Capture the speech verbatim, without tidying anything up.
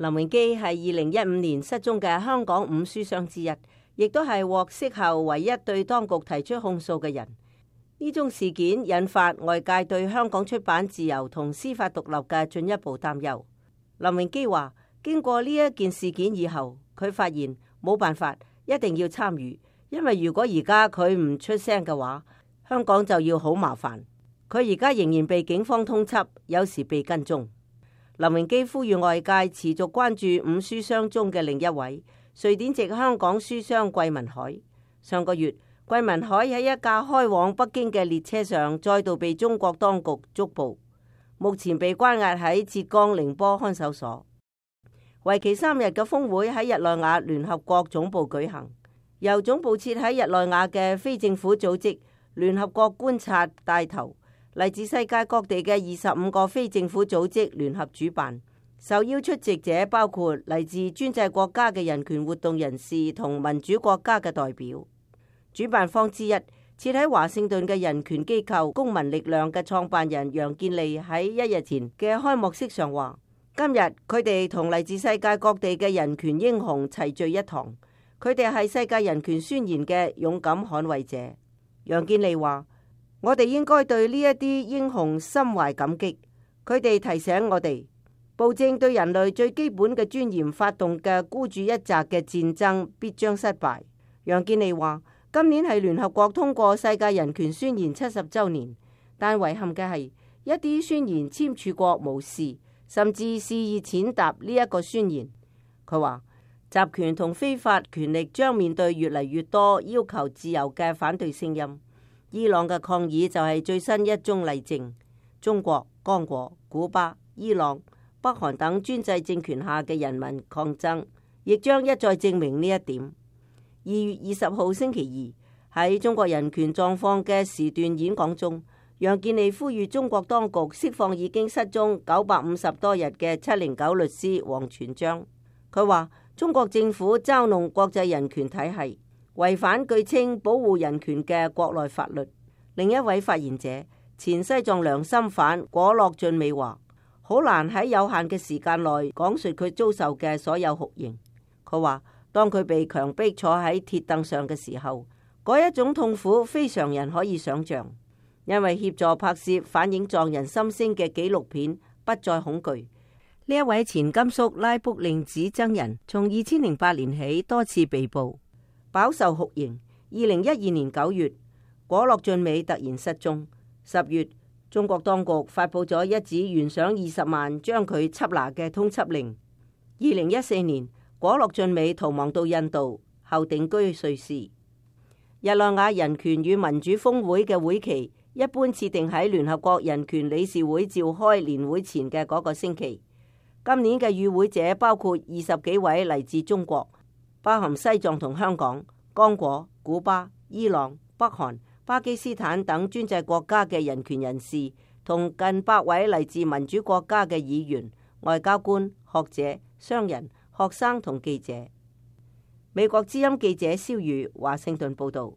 林榮基係二零一五年失蹤嘅香港五書商之一，亦都係獲釋後唯一對當局提出控訴嘅人。呢宗事件引發外界對香港出版自由同司法獨立嘅進一步擔憂。林榮基話：經過呢一件事件以後，佢發現冇辦法，一定要參與，因為如果而家佢唔出聲嘅話，香港就要好麻煩。佢而家仍然被警方通緝，有時被跟蹤。林榮基呼籲外界持續關注五書商中嘅另一位瑞典籍香港書商桂民海。上個月，桂民海喺一架開往北京嘅列車上再度被中國當局捉捕，目前被關押喺浙江寧波看守所。為期三日嘅峰會喺日內瓦聯合國總部舉行，由總部設喺日內瓦嘅非政府組織聯合國觀察帶頭。嚟自世界各地嘅二十五個非政府組織聯合主辦，受邀出席者包括嚟自專制國家嘅人權活動人士同民主國家嘅代表。主辦方之一，設喺華盛頓嘅人權機構公民力量嘅創辦人楊建利喺一日前嘅開幕式上話：今日佢哋同嚟自世界各地嘅人權英雄齊聚一堂，佢哋係世界人權宣言嘅勇敢捍衛者。楊建利話：我哋應該對呢一啲英雄心懷感激，佢哋提醒我哋，暴政對人類最基本嘅尊嚴發動嘅孤注一擲嘅戰爭必將失敗。楊建利話：今年係聯合國通過世界人權宣言七十週年，但遺憾嘅係一啲宣言簽署國無視，甚至肆意踐踏呢一個宣言。佢話：集權同非法權力將面對越嚟越多要求自由嘅反對聲音。伊朗嘅抗議就係最新一宗例證。中國、剛果、古巴、伊朗、北韓等專制政權下嘅人民抗爭，亦將一再證明呢一點。二月二十號星期二喺中國人權狀況嘅時段演講中，楊建利呼籲中國當局釋放已經失蹤九百五十多日嘅七零九律師王全璋。佢話：中國政府嘲弄國際人權體系，違反據稱保護人權嘅國內法律。另一位發言者前西藏良心犯果洛俊美話：好難喺有限嘅時間內講述佢遭受嘅所有酷刑。佢話：當佢被強迫坐喺鐵凳上嘅時候，嗰一種痛苦非常人可以想象。因為協助拍攝反映藏人心聲嘅紀錄片《不再恐懼》，呢一位前甘肅拉卜令子僧人從二千零八年起多次被捕，飽受酷刑。二零一二年九月，果洛俊美突然失蹤。十月，中國當局發布咗一紙懸賞二十萬將佢緝拿嘅通緝令。二零一四年，果洛俊美逃亡到印度，後定居瑞士。日內瓦人權與民主峰會嘅會期一般設定喺聯合國人權理事會召開年會前嘅嗰個星期。今年嘅與會者包括二十幾位嚟自中國，包含西藏同香港、剛果、古巴、伊朗、北韓、巴基斯坦等專制國家嘅人權人士，同近百位嚟自民主國家嘅議員、外交官、學者、商人、學生同記者。美國之音記者蕭宇華盛頓報道。